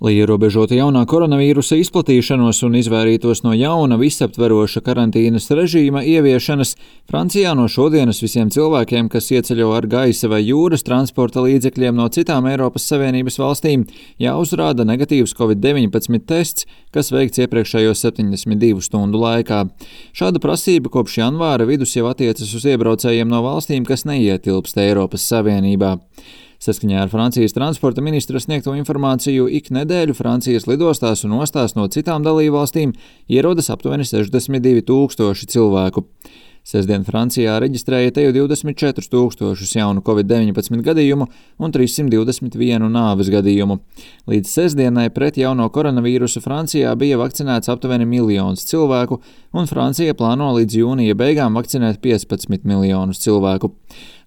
Lai ierobežotu jaunā koronavīrusa izplatīšanos un izvairītos no jauna visaptveroša karantīnas režīma ieviešanas, Francijā no šodienas visiem cilvēkiem, kas ieceļo ar gaisa vai jūras transporta līdzekļiem no citām Eiropas Savienības valstīm, jāuzrāda negatīvs Covid-19 tests, kas veikts iepriekšējo 72 stundu laikā. Šāda prasība kopš janvāra vidus jau attiecas uz iebraucējiem no valstīm, kas neietilpst Eiropas Savienībā. Saskaņā ar Francijas transporta ministra sniegto informāciju, ik nedēļu Francijas lidostās un ostās no citām dalībvalstīm ierodas aptuveni 62 000 cilvēku. Sestdien Francijā reģistrēja teju 24 000 jaunu Covid-19 gadījumu un 321 nāves gadījumu. Līdz sestdienai pret jauno koronavīrusu Francijā bija vakcinēts aptuveni 1 miljons cilvēku, un Francija plāno līdz jūnija beigām vakcinēt 15 miljonus cilvēku.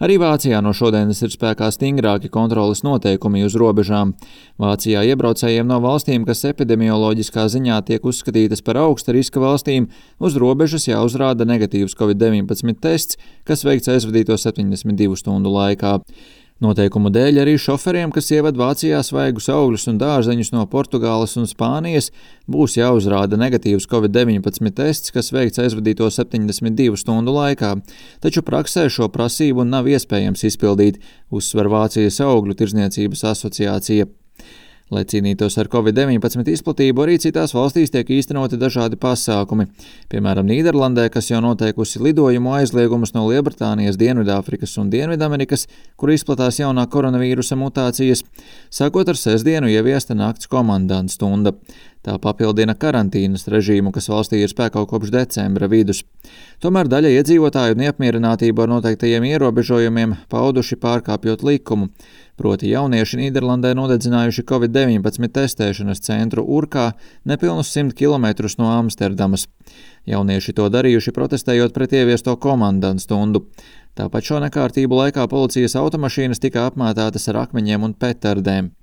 Arī Vācijā no šodienas ir spēkā stingrāki kontroles noteikumi uz robežām. Vācijā iebraucējiem no valstīm, kas epidemioloģiskā ziņā tiek uzskatītas par augsta riska valstīm, uz robežas jāuzrāda negatīvs Covid-19 tests, kas veikts aizvadīto 72 stundu laikā. Noteikumu dēļ arī šoferiem, kas ieved Vācijā svaigus augļus un dārzeņus no Portugāles un Spānijas, būs jāuzrāda negatīvs Covid-19 tests, kas veikts aizvadīto 72 stundu laikā. Taču praksē šo prasību nav iespējams izpildīt, uzsver Vācijas augļu tirdzniecības asociācija. Lai cīnītos ar Covid-19 izplatību, arī citās valstīs tiek īstenoti dažādi pasākumi. Piemēram, Nīderlandē, kas jau noteikusi lidojumu aizliegumus no Lielbritānijas, Dienvidāfrikas un Dienvidamerikas, kur izplatās jaunā koronavīrusa mutācijas, sākot ar sestdienu ieviesta nakts komandanta stunda. Tā papildina karantīnas režīmu, kas valstī ir spēkā kopš decembra vidus. Tomēr daļa iedzīvotāju neapmierinātību ar noteiktajiem ierobežojumiem pauduši pārkāpjot likumu. Proti jaunieši Nīderlandē nodedzinājuši Covid-19 testēšanas centru Urkā nepilnus 100 km no Amsterdamas. Jaunieši to darījuši protestējot pret ieviesto komandanta stundu. Tāpat šo nekārtību laikā policijas automašīnas tika apmētātas ar akmeņiem un petardēm.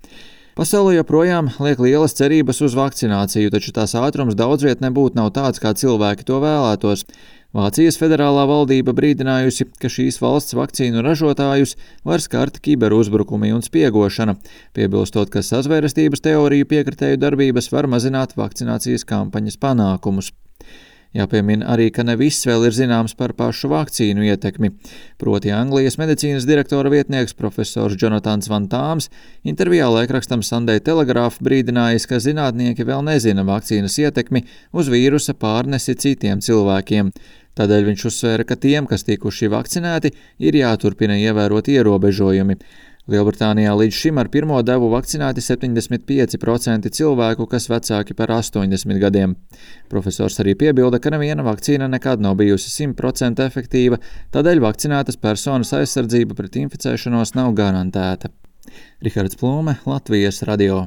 Pasaulē joprojām liek lielas cerības uz vakcināciju, taču tās ātrums daudzviet nebūtu nav tāds, kā cilvēki to vēlētos. Vācijas federālā valdība brīdinājusi, ka šīs valsts vakcīnu ražotājus var skart kiberuzbrukumi un spiegošana, piebilstot, ka sazvērestības teoriju piekritēju darbības var mazināt vakcinācijas kampaņas panākumus. Jāpiemina arī, ka ne viss vēl ir zināms par pašu vakcīnu ietekmi. Proti Anglijas medicīnas direktora vietnieks profesors Jonatans Van Tāms intervijā laikrakstam Sunday Telegraph brīdinājis, ka zinātnieki vēl nezina vakcīnas ietekmi uz vīrusa pārnesi citiem cilvēkiem. Tādēļ viņš uzsvēra, ka tiem, kas tikuši vakcinēti, ir jāturpina ievērot ierobežojumi. Lielbritānijā līdz šim ar pirmo devu vakcinēti 75% cilvēku, kas vecāki par 80 gadiem. Profesors arī piebilda, ka neviena vakcīna nekad nav bijusi 100% efektīva, tādēļ vakcinētas personas aizsardzība pret inficēšanos nav garantēta. Rihards Plūme, Latvijas radio.